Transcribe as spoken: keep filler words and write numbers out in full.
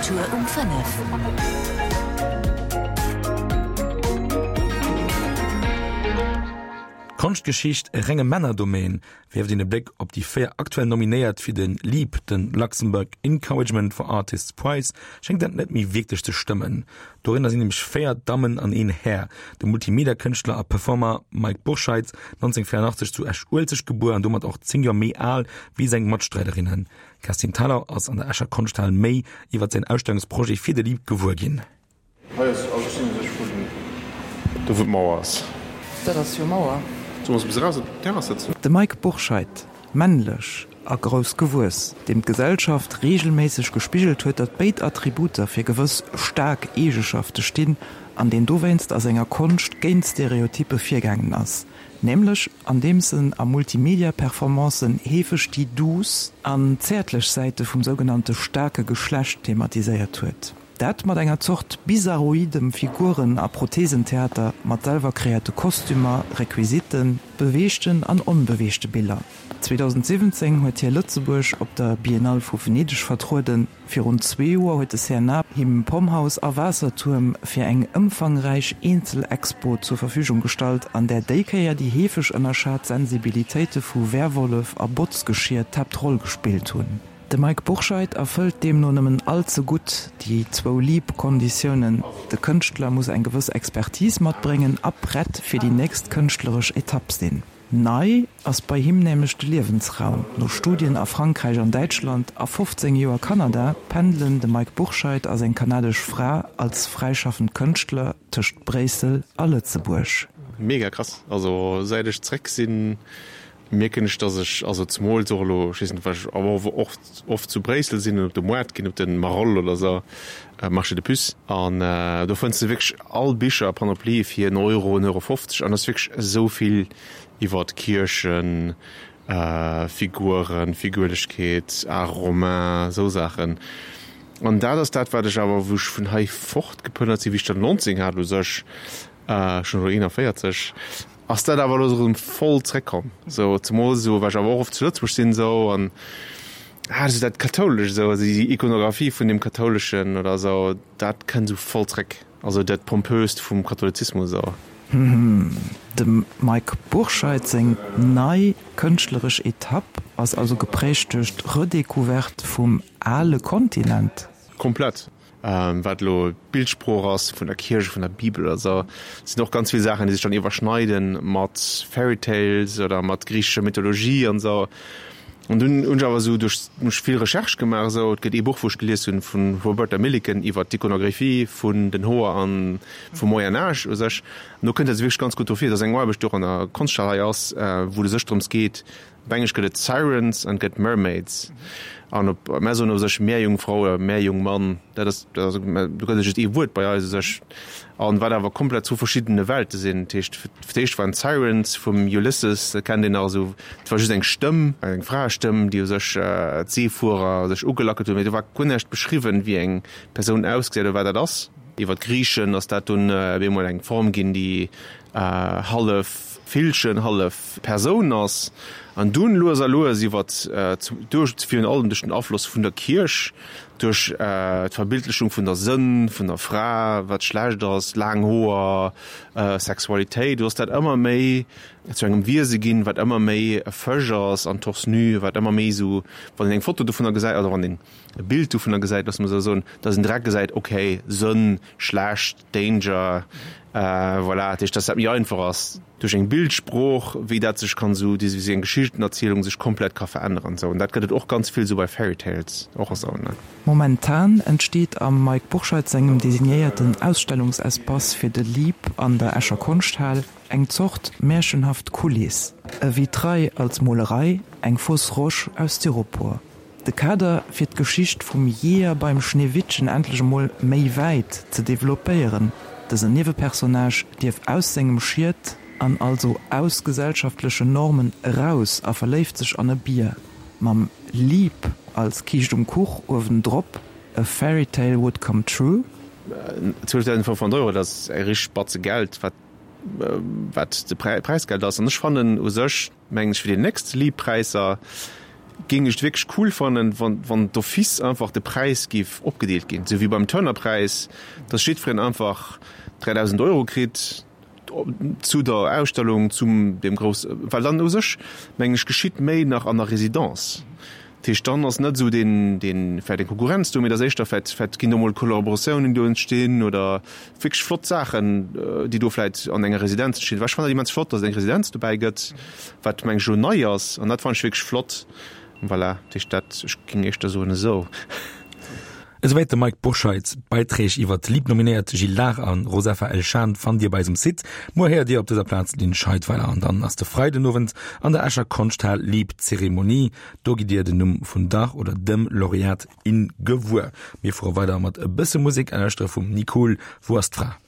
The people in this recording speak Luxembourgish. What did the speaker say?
Kultur um fënnef. Konschtgeschicht e renge Männerdomaine? Werft een e Bléck op déi véier aktuell Nominéiert fir de LEAP, den Luxembourg Encouragement for Artists Prize, schéngt dat net méi wierklech ze stëmmen. Dorënner sinn nämlech véier Dammen an een Här, de Multimedia-Kënschtler a Performer Mike Bourscheid, nonzénghunnertvéierundaachtzeg zu Esch-Uelzecht gebuer an domat och zéng Joer méi al wéi seng Matstreiderinnen. D'Kerstin Thalau ass an der Escher Konschthal méi iwwer säin Ausstellungsprojet fir de LEAP gewuer ginn. Hei ass also ech sinn u sech vun do wou d'Mauer ass. Dat ass jo Mauer. Solle mer se bis eraus op d'Terrass sëtzen? De Mike Bourscheid, männlech a grouss gewuess, deem d'Gesellschaft reegelméisseg gespigelt huet, datt béid Attributer fir gewëss staark Eegeschafte stinn, an deen dowéinst a senger Konscht géint Stereotyppe virgaangen ass, nämlech andeems en a Multimedia-Performancen heefeg déi duuss an zäertlech Säite vum sougenannte staarke Geschlecht thematiséiert huet. Dat mat enger Zort bizarroidem Figuren a Prothesentheater mat selwer kreéierte Kostümer, Requisitten, beweegten an onbeweegte Biller. zweedausendsiwwenzéng huet hie Lëtzebuerg op der Biennale vu Venedeg vertrueden. Virun zwee Joer huet de C N A him Pomhouse a Waassertuerm fir eng ëmfangräich Eenzelexpo zur Verfügung gestallt, an där déi Kéier déi heefeg ënnerschat Sensibilitéite vu Werwollef a Botzgeschier d'Haaptroll gespillt hunn. De Mike Bourscheid erfëllt deemno nëmmen all ze gutt déi zwou LEAP-Konditiounen, De Kënschtler muss eng gewëss Expertise matbréngen a prett fir déi nächst kënschtleresch Etapp sinn. Nei ass bei him nämlech de Liewensraum. No Studien a Frankräich an Däitschland a fofzéng Joer Kanada pendelen de Mike Bourscheid a seng kanadesch Fra als fräischaffend Kënschtler tëscht Bréissel a Lëtzebuerg. Mega krass, also säit ech zréck sinn mierken ech, dass ech, also zemools och elo, ech weess net, well ech awer och oft zu Bréissel sinn an op de Moart ginn, op de Marolles oder esou, Marché de Puces, an do fënns de wierklech all Bicher a Panoplie fir en Euro, en Euro fofzeg, an et ass wierklech esou vill iwwert Kierchen, Figuren, Figürlechkeet, Art romain, esou Saachen. An dat ass dat, wat ech awer, wou ech vun hei fortgeplënnert sinn, wéi ech dann nonzéng hat u sech, ech hunn elo eenanvéierzeg, ass dat awer elo erëm voll zréckkomm, sou zemools esou, well ech awer och oft zu Lëtzebuerg sinn esou an ah esou dat Kathoulesch esou, also déi Ikonographie vun dem Kathouleschen oder esou, dat kënnt esou voll zréck, also dat Pompöst vum Katholizismus esou. Dem Mike Bourscheid seng nei kënschtleresch Etapp ass also geprägt duerch d'Redécouverte vum ale Kontinent. Komplett. Wat elo d'Bildsprooch ass vun der Kierch, vun der Bibel oder sou, sinn och ganz vill Saachen, déi sech dann iwwerschneiden mat Fairy Tales oder mat griichescher Mythologie an sou. An dunn hunn ech awer esou duerch hunn ech vill Recherche gemaach esou. Et gëtt ee Buch, wou ech gelies hunn, vu Roberta Milliken iwwer d'Iconographie vun den Hoer a vum Moyen Âge u sech. An do kënnt dat wierklech ganz gutt dofir. Dat ass eng Aarbecht, déi och an der Konschthaal hei ass, wou et u sech drëms geet, Op Englesch gëtt et Sirens an et gëtt Mermaids. An op, mär soen u sech Meerjungfrau oder Meerjungmann, dat ass, dat ass, do gëtt et just ee Wuert bei eis u sech. An wat awer komplett zwou verschiddene Welte sinn. Dat heescht, fir d'éischt waren d'Sirens vum Ulysses, dat kennt een nach esou, dat war just eng Stëmm, eng Fraestëmm, déi u sech d'Seefuerer sech ugelackelt hunn, mee do war guer näischt beschriwwen, wéi eng Persoun ausgesäit oder wat dat ass. Iwwer d'Griichen ass dat dunn op eemol eng Form ginn, déi hallef Villchen, hallef Persoun ass. An dunn lues a lues iwwer duerch, virun allem duerch den Afloss vun der Kierch, duerch d'Verbildlechung vun der Sënn, vun der Fra, wat schlecht ass, laang Hoer, Sexualitéit, do ass dat ëmmer méi zu engem Wiese ginn, wat ëmmer méi e Fësch ass an torse nu, wat ëmmer méi esou, wann een eng Foto dovunner gesäit oder wann een e Bild dovunner gesäit, loosse mer esou soen, dass een direkt gesäit, okay, Sënn, schlecht, Danger, voilà, dat heescht, dass dat méi einfach ass duerch eng Bildsprooch, wéi dat sech kann esou, déi esou eng Geschichtenerzielung sech komplett ka veränneren esou. An dat gëtt et och ganz vill esou bei Fairy Tales och esou, ne. Momentan entsteet am Mike Bourscheid sengem designéierten Ausstellungsespace fir de LEAP an der Escher Konschthal eng Zort märchenhaft Kuliss, e Vitrail als Molerei, eng fausse roche aus Styropor. De Kader fir d'Geschicht vum Jeeër beim Schneewittchen endlech emol méi wäit ze developpéieren. Dësen Niewepersonnage dierf aus sengem Schiet an also aus gesellschaftlechen Normen eraus a verléift sech an e Bier. Mam LEAP als Kiischt um Kuch uewendrop, a fairy tale would come true. zwielftausendfënnfhonnert Euro, dat ass e richteg Batze Geld, wat wat de Präisgeld ass. An ech fannen u sech, mengen ech, fir déi nächst LEAP-Präisser Géing ech et wierklech cool fannen, wann, wann d'office einfach de Präis géif opgedeelt ginn, esou wéi beim Turner-Präis, dass jiddwereen einfach dräidausend Euro kritt zu der Ausstellung, zum deem grouss, well dann u sech, mengen ech, geschitt méi nach an der Résidence. Dat heescht, dann ass net esou deen, deen vläicht eng Konkurrenz do, mee et ass éischter vläicht, vläicht ginn do mol Kollaboratiounen do entstinn oder wierklech flott Saachen, déi do vläicht an enger Residenz entstinn. Well ech fannen dat immens flott, dass et eng Residenz dobäi gëtt, wat meng ech elo nei ass, an dat fannen ech wierklech flott. Voilà, dat heescht dat, ech géing éischter soen esou. Esouwäit de Mike Bourscheid. D'Beiträg iwwer d'Lieb-Nominéiert Jill Lahr a Rosafa El-Shan fannt Dir bei eisem Site. Muer héiert Dir op dëser Plaz d'Lynn Scheidweiler an dann ass de Freidenowend an der Escher Konschthal Lieb-Zeremonie. Do gitt Dir den Numm vun der oder dem Laureat, in gewuer. Mir fuere weider mat e bësse Musek a lauschtere vum Nicool Wou ass d'Fra?